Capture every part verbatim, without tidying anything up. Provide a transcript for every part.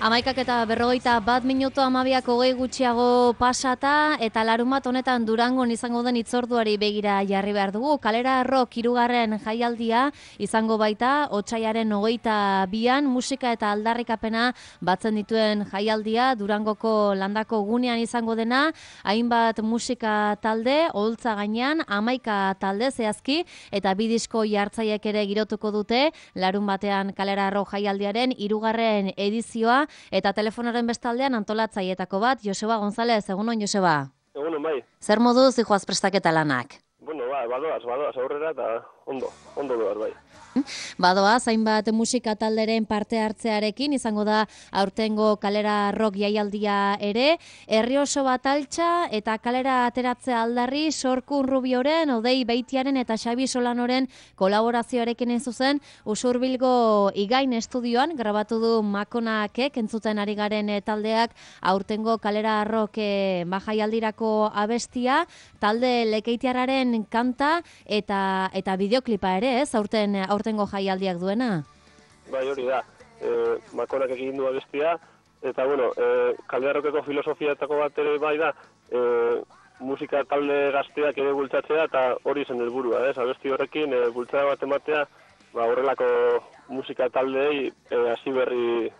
Amaikak eta berrogeita bat minutu amabiak hogei gutxiago pasata eta larunbat honetan Durangon izango den hitzorduari begira jarri behar dugu. Kalera Rock hirugarren jaialdia izango baita otsaiaren hogeita bian musika eta aldarrikapena batzen dituen jaialdia Durangoko landako gunean izango dena, hainbat musika talde, oholtza gainean, amaika talde zehazki eta bi disko jartzaiek ere girotuko dute larun batean Kalera Rock jaialdiaren hirugarren edizioa. Eta telefonoren bestaldean antolatzaietako bat, Joseba González, egunon Joseba? Egunon bai. Zer moduz dijoaz prestaketa lanak? Bueno, ba, badoaz, badoaz aurrera eta ondo, ondo doaz bai. Badoaz, hainbat musika talderen parte hartzearekin, izango da aurtengo Kalera Rock jaialdia ere, herri oso bat altxa eta kalera ateratzea aldarri, Sorkun Rubioren, Odei Beitiaren eta Xabi Solanoren kolaborazioarekin ez zuzen, Usurbilgo Igain estudioan, grabatu du Makonakek, entzuten ari garen taldeak, aurtengo Kalera Rock eh, jaialdirako abestia, talde Lekeitiarraren kanta eta eta bideoklipa ere, ez, aurten aurtengo jaialdiak duena? Bai, hori da. E, Makonak egin du abestia, eta bueno, e, Kalera Rockeko filosofiatako bat ere bai da, e, musika talde gazteak ere bultzatzea, eta hori zen helburua, ez? Abesti horrekin e, bultzada bat ematea, ba, horrelako musika taldeei e, hasi berri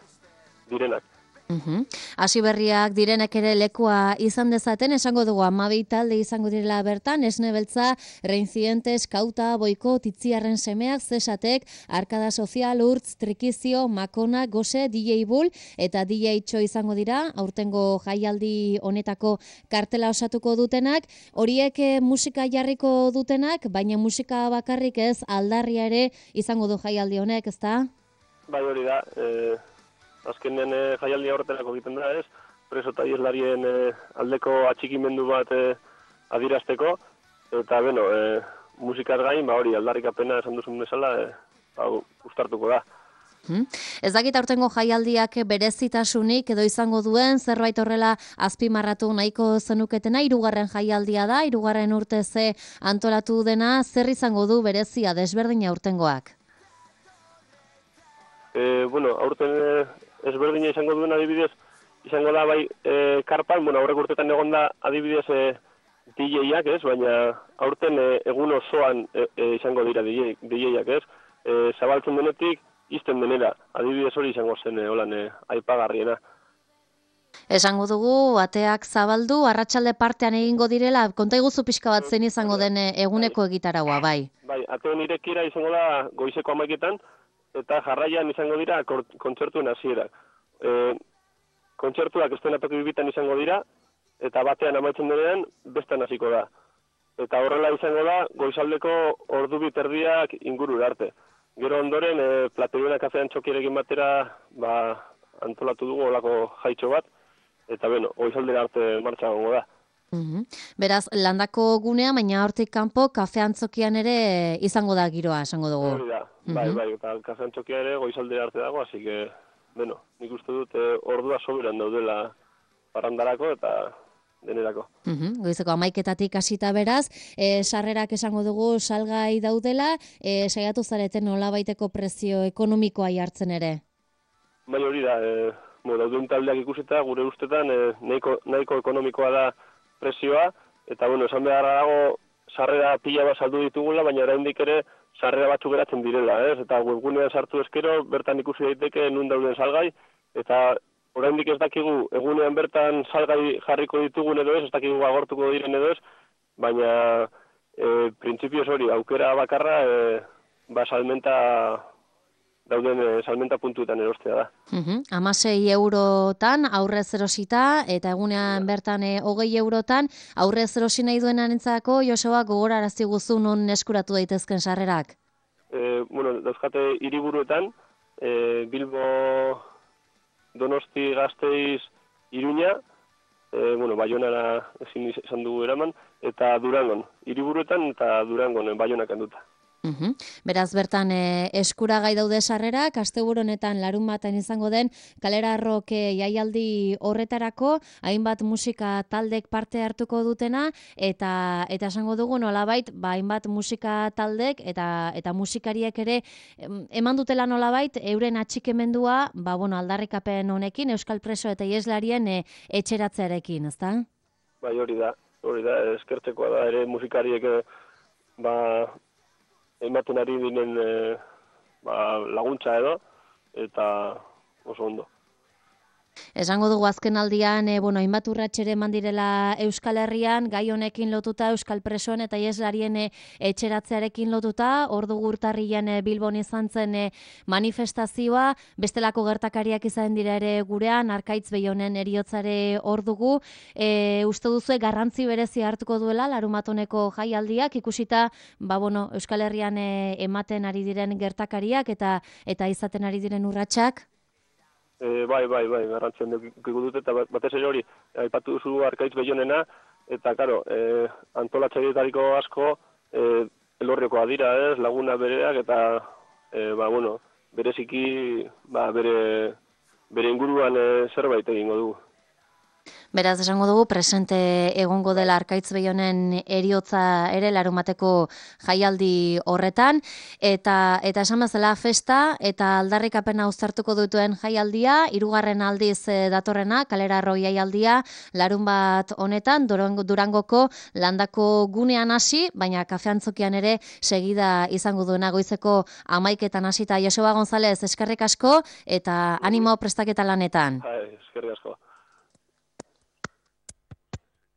direnak. Uhum. Hasi berriak direnek ere lekua izan dezaten, esango dugu hamabi talde izango direla bertan, Esne Beltza, Reincidentes, Kauta, Boikot, Itziarren semeak, Zesatek, Arkada Sozial, Urtz, Trikizio, Makona, Gose, D J Bull eta D J Txo izango dira, aurtengo jaialdi honetako kartela osatuko dutenak, horiek musika jarriko dutenak, baina musika bakarrik ez, aldarria ere izango du jaialdi honek, ezta? Bai, hori da, e... azkenean e, jaialdia horretarako egiten da, ez? Preso eta ieslarien e, aldeko atxikimendu bat e, adirazteko, eta, bueno, e, musikaz gain, ba hori, aldarrikapena esan duzun bezala, e, ba, ustartuko da. Hmm. Ez dakit aurtengo jaialdiak berezitasunik edo izango duen, zerbait horrela azpimarratu nahiko zenuketena, hirugarren jaialdia da, hirugarren urte ze antolatu dena, zer izango du berezia desberdina aurtengoak? E, bueno, aurten e, ezberdina izango duen adibidez, izango da bai e, karpan, bueno, aurrek urtetan egon da adibidez e, D J-ak, ez? Baina aurten e, egun osoan e, e, izango dira D J-ak, ez? E, zabaltzen denetik, izten denera, adibidez hori izango zen e, holan e, aipagarriena. Esango dugu, ateak zabaldu, arratsalde partean egingo direla, konta iguzu pixka bat zen izango den eguneko egitaraua, bai? Bai, ateen irekiera izango da goizeko amaiketan, eta jarraian izango dira kontzertuen hasierak. E, kontzertuak estenatoki bibitan izango dira, eta batean amaitzen denean, bestan hasiko da. Eta horrela izango da, goizaldeko ordu biterdiak inguru arte. Gero ondoren, e, Plateriona kafean txokierekin batera, ba, antolatu dugu olako jaitxo bat, eta beno, goizaldera arte martxa gongo da. Uhum. Beraz, landako gunea, baina hortik kanpo, kafe antzokian ere izango da giroa, esango dugu. Hori da, bai, bai, eta kafe antzokia ere goizaldera arte dago, así que, bueno, nik uste dut eh, ordua soberan daudela parandarako eta denerako. Uhum. Goizeko amaiketatik hasita beraz, e, sarrerak esango dugu salgai daudela, e, saiatu zareten nolabaiteko prezio ekonomikoa jartzen ere? Bai, hori da, e, bueno, dauden taldeak ikusita, gure ustetan, e, nahiko, nahiko ekonomikoa da prezioa, eta bueno, esan beharra dago sarrera pila bat saldu ditugula, baina oraindik ere sarrera batzuk geratzen direla, ez? Eta webgunean sartu eskero, bertan ikusi daiteke nun dauden salgai, eta oraindik ez dakigu egunean bertan salgai jarriko ditugun edo ez, ez dakigu agortuko diren edo ez, baina e, printzipioz hori, aukera bakarra, e, ba salmenta dauden e, salmenta puntuetan erostea da. Uhum. Amasei eurotan aurrez erosita, eta egunean ja. bertan e, hogei eurotan, aurrez erosi nahi duenarentzako, Joseba, gogorarazi guzu non eskuratu daitezken sarrerak? E, bueno, dauzkate hiriburuetan, e, Bilbo, Donosti, Gasteiz, Iruña, e, bueno, Baionara ezin izan dugu eraman, eta Durangon, hiriburuetan eta Durangon, Baionak handuta. Uhum. Beraz, bertan e, eskuragai daude sarrerak, asteburu honetan larun baten izango den Kalera Rock jaialdi horretarako, hainbat musika taldek parte hartuko dutena, eta eta esango dugu nolabait, ba, hainbat musika taldek eta eta musikariek ere eman dutela nolabait, euren atxikemendua, ba, bueno, aldarrikapen honekin, Euskal Preso eta ieslarien e, etxeratzearekin, ezta? Bai, hori da, hori da, eskertzekoa da, ere musikariek e, ba, ematen ari dinen e, ba, laguntza edo, eta oso ondo. Esango dugu azken aldian, e, bueno, hainbat urratxere eman direla Euskal Herrian, gai honekin lotuta, Euskal Presoen eta ieslarien e, etxeratzearekin lotuta, hor dugu urtarrian e, Bilbon izan zen e, manifestazioa, bestelako gertakariak izan dira ere gurean, Arkaitz Beionen heriotzare hor dugu, e, uste duzu garrantzi berezi hartuko duela, larumatoneko jaialdiak, ikusita, ba, bueno, Euskal Herrian e, ematen ari diren gertakariak eta eta izaten ari diren urratsak? E, bai, bai, bai, garrantzien dukiko dute, eta batez ere hori, aipatu duzu Arkaitz Beionena, eta, karo, e, antolatzaileetariko asko e, elorriokoa dira, ez, laguna bereak, eta, e, ba, bueno, bereziki, ba, bere, bere inguruan e, zerbait egingo dugu. Beraz, esango dugu, presente egongo dela Arkaitz Beionen heriotza ere larumateko jaialdi horretan, eta eta esan bezala festa eta aldarrikapena uztartuko dutuen jaialdia, hirugarren aldiz datorrena, Kalera Rock jaialdia, larun bat honetan, Durango, Durangoko landako gunean hasi, baina kafeantzokian ere segida izango duena goizeko hamaiketan hasita. Joseba González, eskerrik asko, eta animo prestaketa lanetan. Hai, eskerrik asko.